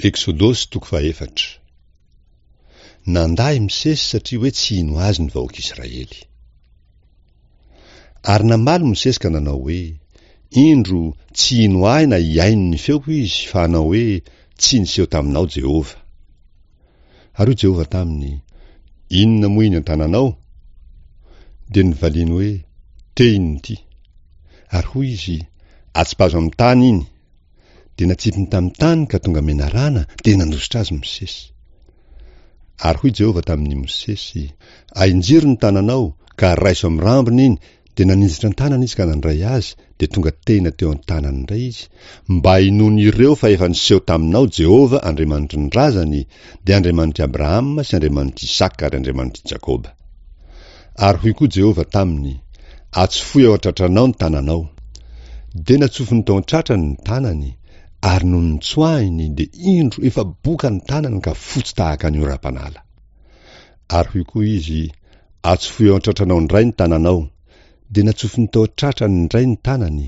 Eksodosy toko fahefatra. Nandà i Mosesy satria hoe tsy hino azy ny vahoaka Israely. Ary namaly Mosesy ka nanao hoe, Indro, tsy hino ahy na hihaino ny feoko izy, fa hanao hoe, Tsy niseho taminao Jehovah. Ary hoy Jehovah taminy, Inona moa iny an-tananao? Dia novaliany hoe, Tehina ity. Ary hoy izy, Atsipazo amin'ny tany iny. Dia natsipiny tamin'ny tany ka tonga menarana, dia nandositra azy Mosesy. Ary hoy Jehovah tamin'i Mosesy, Ahinjiro ny tananao, ka raiso amin'ny rambony iny. Dia naninjitra ny tanany izy ka nandray azy, dia tonga tehina teo an-tanany indray izy, mba hinoan'ireo fa efa niseho taminao Jehovah Andriamanitry ny razany, dia Andriamanitr'i Abrahama sy Andriamanitr'i Isaka ary Andriamanitr'i Jakoba. Ary hoy koa Jehovah taminy, Atsofohy ao an-tratranao ny tananao. Dia natsofony tao an-tratrany ny tanany, ary nony notsoahiny, dia indro, efa boka ny tanany ka fotsy tahaka ny oram-panala. Ary hoy koa izy, Atsofohy ao an-tratranao indray ny tananao. Dia natsofony tao an-tratrany indray ny tanany,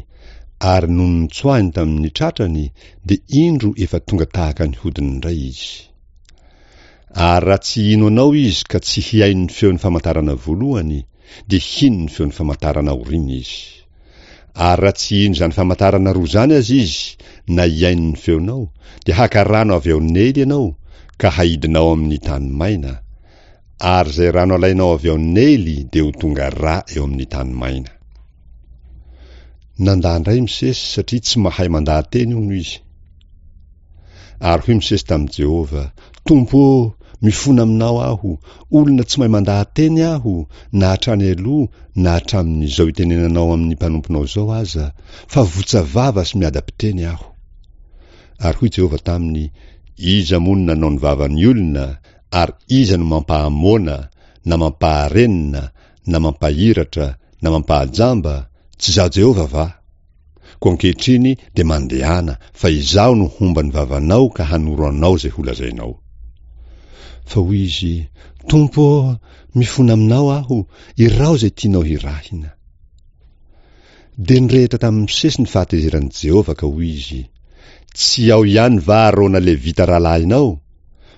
ary nony notsoahiny tamin'ny tratrany, dia indro efa tonga tahaka ny hodiny indray izy. Ary raha tsy hino anao izy ka tsy hihaino ny feon'ny famantarana voalohany, dia hino ny feon'ny famantarana aoriana izy. Ary raha tsy hino izany famantarana roa izany aza izy, na hihaino ny feonao, dia haka rano avy ao Neily ianao, ka haidinao amin'ny tany maina, ary izay rano alainao avy ao Neily dia ho tonga rà eo amin'ny tany maina. Nandà indray Mosesy satria tsy mahay mandaha-teny hono izy. Ary hoy Mosesy tamin'i Jehovah, Tompo ô, mifona aminao aho, olona tsy mahay mandaha-teny aho, na hatrany aloha na hatramin'izao itenenanao amin'ny mpanomponao izao aza, fa votsa vava sy miadam-piteny aho. Ary hoy Jehovah taminy, Iza moa no nanao ny vavan'ny olona, ary iza no mampahamoana, na mampaharenina, na mampahiratra, na mampahajamba? Tsy Izaho Jehovah va? Koa ankehitriny dia mandehana, fa Izaho no homba ny vavanao ka hanoro anao izay holazainao. Fa hoy izy, Tompo ô, mifona aminao aho, iraho izay tianao hirahina. Dia nirehitra tamin'i Mosesy ny fahatezeran'i Jehovah ka hoy izy, Tsy ao ihany va Arona Levita rahalahinao?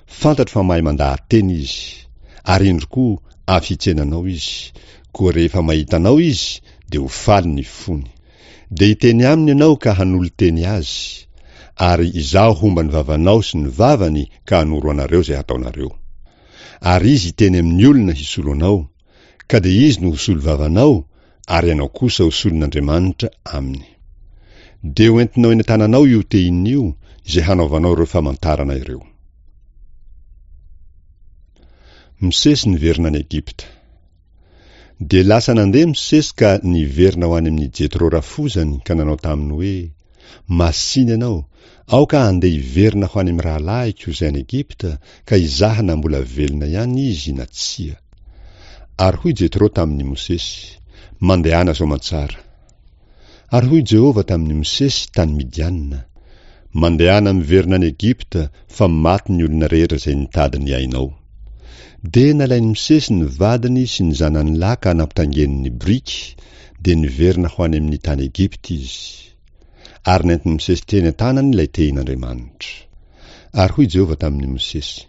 Fantatro fa mahay mandaha-teny izy, ary indro koa avy hitsena anao izy, koa rehefa mahita anao izy, dia ho faly ny fony. Dia hiteny aminy ianao ka hanolo-teny azy, ary Izaho homba ny vavanao sy ny vavany ka hanoro anareo izay hataonareo. Ary izy hiteny amin'ny olona hisolo anao, ka dia izy no ho solovavanao, ary ianao kosa ho solon'Andriamanitra aminy. Dia ho entinao eny an-tananao io tehina io, izay hanaovanao ireo famantarana ireo. Mosesy niverina any Egypta. Dia lasa nandeha Mosesy ka niverina ho any amin'i Jetro rafozany ka nanao taminy hoe, Masìna ianao, aoka handeha hiverina ho any amin'ny rahalahiko izay any Egypta ka hizaha na mbola velona ihany izy na tsia. Ary hoy Jetro tamin'i Mosesy, Mandehana soamantsara. Ary hoy Jehovah tamin'i Mosesy tany Midiana, Mandehana miverina any Egypta, fa maty ny olona rehetra izay nitady ny ainao. Dia nalain'i Mosesy ny vadiny sy ny zanany lahy ka nampitaingeniny ny boriky, dia niverina ho any amin'ny tany Egypta izy. Ary nentin'i Mosesy teny an-tanany ilay tehin'Andriamanitra. Ary hoy Jehovah tamin'i Mosesy,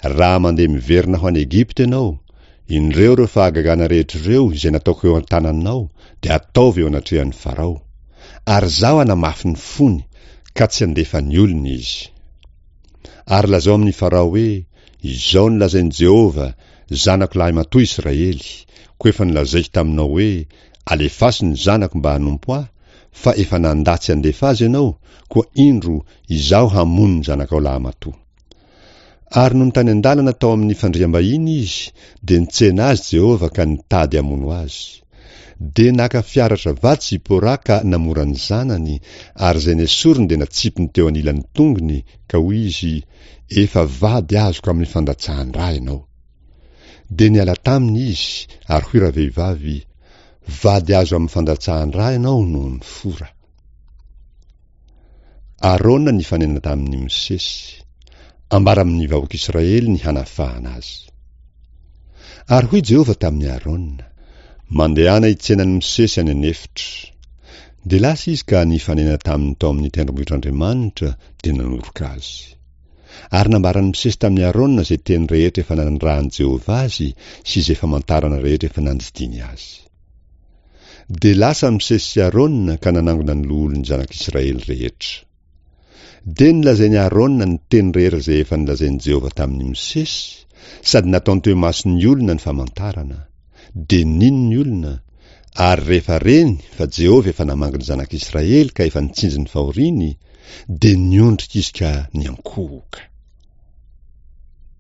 Raha mandeha miverina ho any Egypta ianao, indreo ireo fahagagana rehetra ireo izay nataoko eo an-tananao dia ataovy eo anatrehan'i Farao. Ary Izaho hanamafy ny fony, ka tsy handefa ny olona izy. Ary lazao amin'i Farao hoe, Izao no lazain'i Jehovah, Zanako lahimatoa Israely, koa efa nolazaiko taminao hoe, Alefaso ny zanako mba hanompo ahy, fa efa nandà tsy handefa azy ianao, koa indro, Izaho hamono ny zanakao lahimatoa. Ary nony tany an-dalana tao amin'ny fandriam-bahiny izy, dia nitsena azy Jehovah ka nitady hamono azy. Dia naka fiaratra vato Zipora ka namora ny zanany, ary izay nesoriny dia natsipiny teo anilan'ny tongony, ka hoy izy, Efa vady azoko amin'ny fandatsahan-dra ianao. Dia niala taminy izy, ary hoy ravehivavy, Vady azo amin'ny fandatsahan-dra ianao noho ny fora. Arona nifanena tamin'i Mosesy. Ambara amin'ny vahoak'Israely ny hanafahana azy. Ary hoy Jehovah tamin'i Arona, Mandehana hitsena an'i Mosesy any an'efitra. Dia lasa izy ka nifanena taminy tao amin'ny tendrombohitr'Andriamanitra, dia nanoroka azy. Ary nambaran'i Mosesy tamin'i Arona izay teny rehetra efa nanirahan'i Jehovah azy sy izay famantarana rehetra efa nandidiany azy. Dia lasa Mosesy sy Arona ka nanangona ny loholon'ny zanak'Israely rehetra. Dia nolazain'i Arona ny teny rehetra izay efa nolazain'i Jehovah tamin'i Mosesy, sady nataony teo imason'ny olona ny famantarana. Dia nino ny olona, ary rehefa reny fa Jehovah efa namangy ny zanak'Israely ka efa nitsinjo ny fahoriany, dia niondrika izy ka niankohoka.